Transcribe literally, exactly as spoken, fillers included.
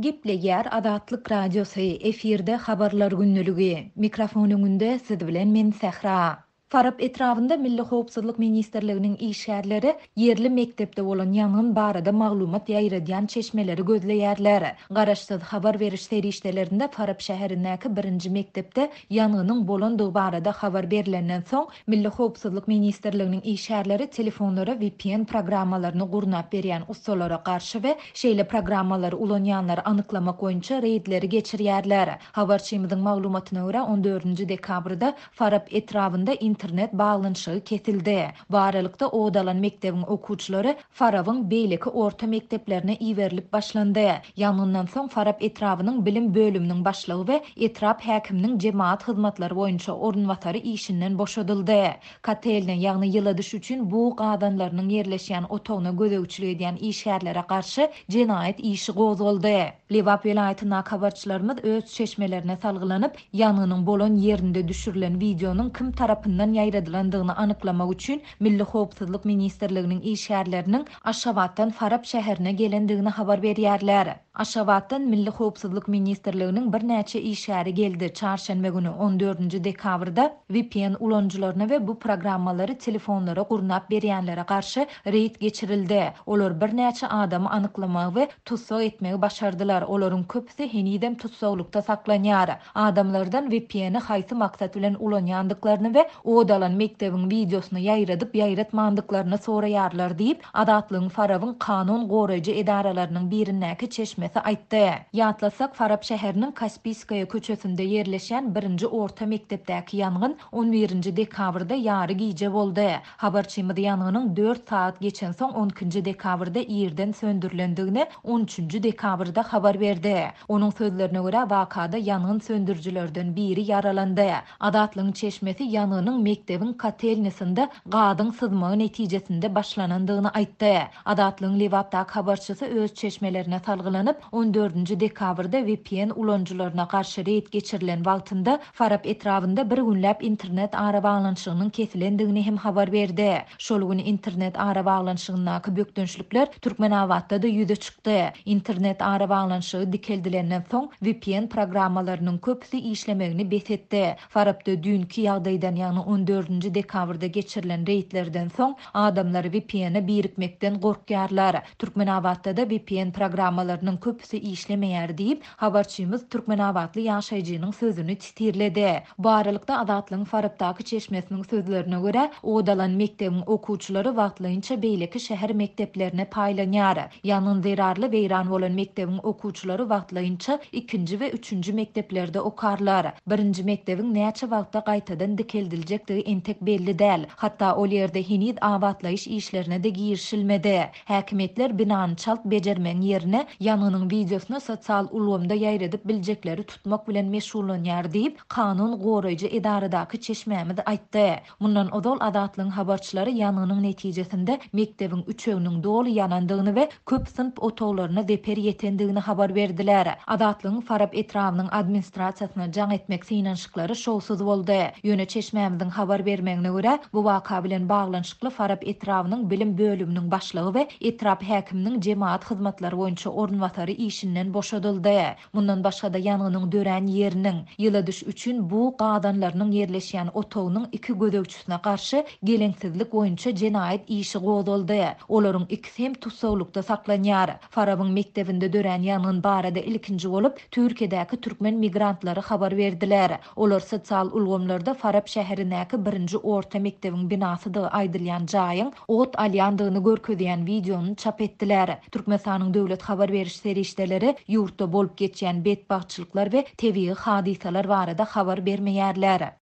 Gepleýär Azatlyk Radiosy, efirde Habarlar gündeligi. Mikrofon öňünde siz bilen men Sähra. Farap etrabynda Milli howpsuzlyk ministrliginiň işgärleri ýerli mekdepde bolan ýangyn barada maglumat ýaýradýan çeşmeleri gözleýärler. Garaşsyz habar beriş serişdelerinde Farap şäherindäki birinji mekdepde ýangynyň bolandygy barada habar berlenden soň, Milli howpsuzlyk ministrliginiň işgärleri telefonlara V P N programmalaryny gurnap berýän ussalara garşy we şeýle programmalary ulanýanlary anyklamak boýunça reýdleri geçirýärler. Habarçymyzyň maglumatyna görä, on dördünji dekabrda Farap etrabynda internet baglanyşygy kesildi. Bu aralykda ot alan mekdebiň okuwçylary Farabyň beýleki orta mekdeplerine iberilip başlandy. Ýangyndan soň Farap etrabynyň bilim bölüminiň başlygy we etrap häkiminiň jemaat hyzmatlary boýunça orunbasary işinden boşadyldy. Kotelne, ýagny ýyladyş üçin bug gazanlarynyň ýerleşýän otagyna gözegçilik edýän işgärlere garşy jenaýat işi gozgaldy. Lebap welaýatyndaky habarçylarymyz öz çeşmelerine salgylanyp, ýangynyň bolan ýerinde düşürilen wideonyň kim tarapyndan ýaýradylandygyny anyklamak üçin Milli howpsuzlyk ministrliginiň işgärleriniň Aşgabatdan Farap şäherine gelendigini habar berýärler. Aşgabatdan Milli howpsuzlyk ministrliginiň birnäçe işgäri geldi. Çarşenbe güni on dördünji dekabrda V P N ulanyjylaryna we bu programmalary telefonlara gurnap berýänlere garşy reýd geçirildi. Olar birnäçe adamy anyklamagy we tussag etmegi başardylar. Olaryň köpüsi henizem tussaglykda saklanýar. Adamlardan V P N-i haýsy maksat bilen ulanýandyklaryny we ot alan mekdebiň wideosyny ýaýradyp ýaýratmandyklaryny soraýarlar diýip, Azatlygyň Farabyň kanun goraýjy edaralarynyň birindäki çeşmesi aýtdy. Ýatlasak, Farap şäheriniň Kaspiýskaýa köçesinde ýerleşýän birinji orta mekdepdäki ýangyn on birinji dekabrda ýary gije boldy. Habarçymyz ýangynyň dört saat geçen soň on ikinji dekabrda irden söndürülendigini on üçünji dekabrda habar berdi. Onuň sözlerine görä, wakada ýangyn söndürüjilerden biri ýaralandy. Azatlygyň çeşmesi ýangynyň mekdebiň kotelnisinde gazyň syzmagy netijesinde başlanandygyny aýtdy. Azatlygyň Lebapdaky habarçysy öz çeşmelerine salgylanyp, on dördünji dekabrda V P N ulanyjylaryna garşy reýd geçirilen wagtynda Farap etrabynda bir günläp internet arabaglanyşygynyň kesilendigini hem habar berdi. Şol gün internet arabaglanyşygyndaky bökdençlikler Türkmenabatda-da ýüze çykdy. Internet arabaglanyşygy dikeldilenden soň V P N programmalarynyň köpüsi işlemegini bes etdi. Farapda düýnki ýagdaýdan, ýagny on dördünji dekabrda geçirilen reýdlerden soň adamlar V P N-e birikmekden gorkýarlar. Türkmenabatda-da V P N programmalarynyň köpüsi işlemeýär diýip, habarçymyz Türkmenabatly ýaşaýjynyň sözüni sitirledi. Bu aralykda Azatlygyň Farapdaky çeşmesiniň sözlerine görä, ot alan mekdebiň okuwçylary wagtlaýynça beýleki şäher mekdeplerine paýlanýar. Ýangyn zerarly weýran bolan mekdebiň okuwçylary wagtlaýynça ikinji we üçünji mekdeplerde okarlar. Birinji mekdebiň näçe wagtda gaýtadan dikeldiljekdigi entek belli däl. Hatda ol ýerde heniz abatlaýyş işlerine-de girişilmedi. Häkimiýetler binany çalt bejermegiň ýerine ýangynyň wideosyny sosial ulgamda ýaýradyp biljekleri tutmak bilen meşgullanýar diýip, kanun goraýjy edaradaky çeşmämiz aýtdy. Mundan ozal Azatlygyň habarçylary ýangynyň netijesinde mekdebiň üçeginiň doly ýanandygyny we köp synp otaglaryna zeper ýetendigini habar berdiler. Azatlygyň Farap etrabynyň administrasiýasyna jaň etmek synanyşyklary şowsuz boldy. Ýöne çeşmämiziň habar bermegine görä, bu waka bilen baglanyşykly Farap etrabynyň bilim bölüminiň başlygy we etrap häkiminiň jemaat hyzmatlary boýunça orunbasary işinden boşadyldy. Mundan başga-da ýangynyň dörän ýeriniň, ýyladyş üçin bug gazanlarynyň ýerleşýän otagynyň iki gözegçisine garşy geleňsizlik boýunça jenaýat işi gozgaldy. Olaryň ikisi hem tussaglykda saklanýar. Farabyň mekdebinde dörän ýangyn barada ilkinji bolup Türkiýedäki türkmen migrantlary habar berdiler. Olar sosial ulgamlarda Farap şäherindäki birinji orta mekdebiň binasydygy aýdylýan jaýyň ot alýandygyny görkezýän wideony çap etdiler. Türkmenistanyň döwlet habar beriş serişdeleri ýurtda bolup geçýän betbagtçylyklar we tebigy hadysalar barada habar bermeýärler.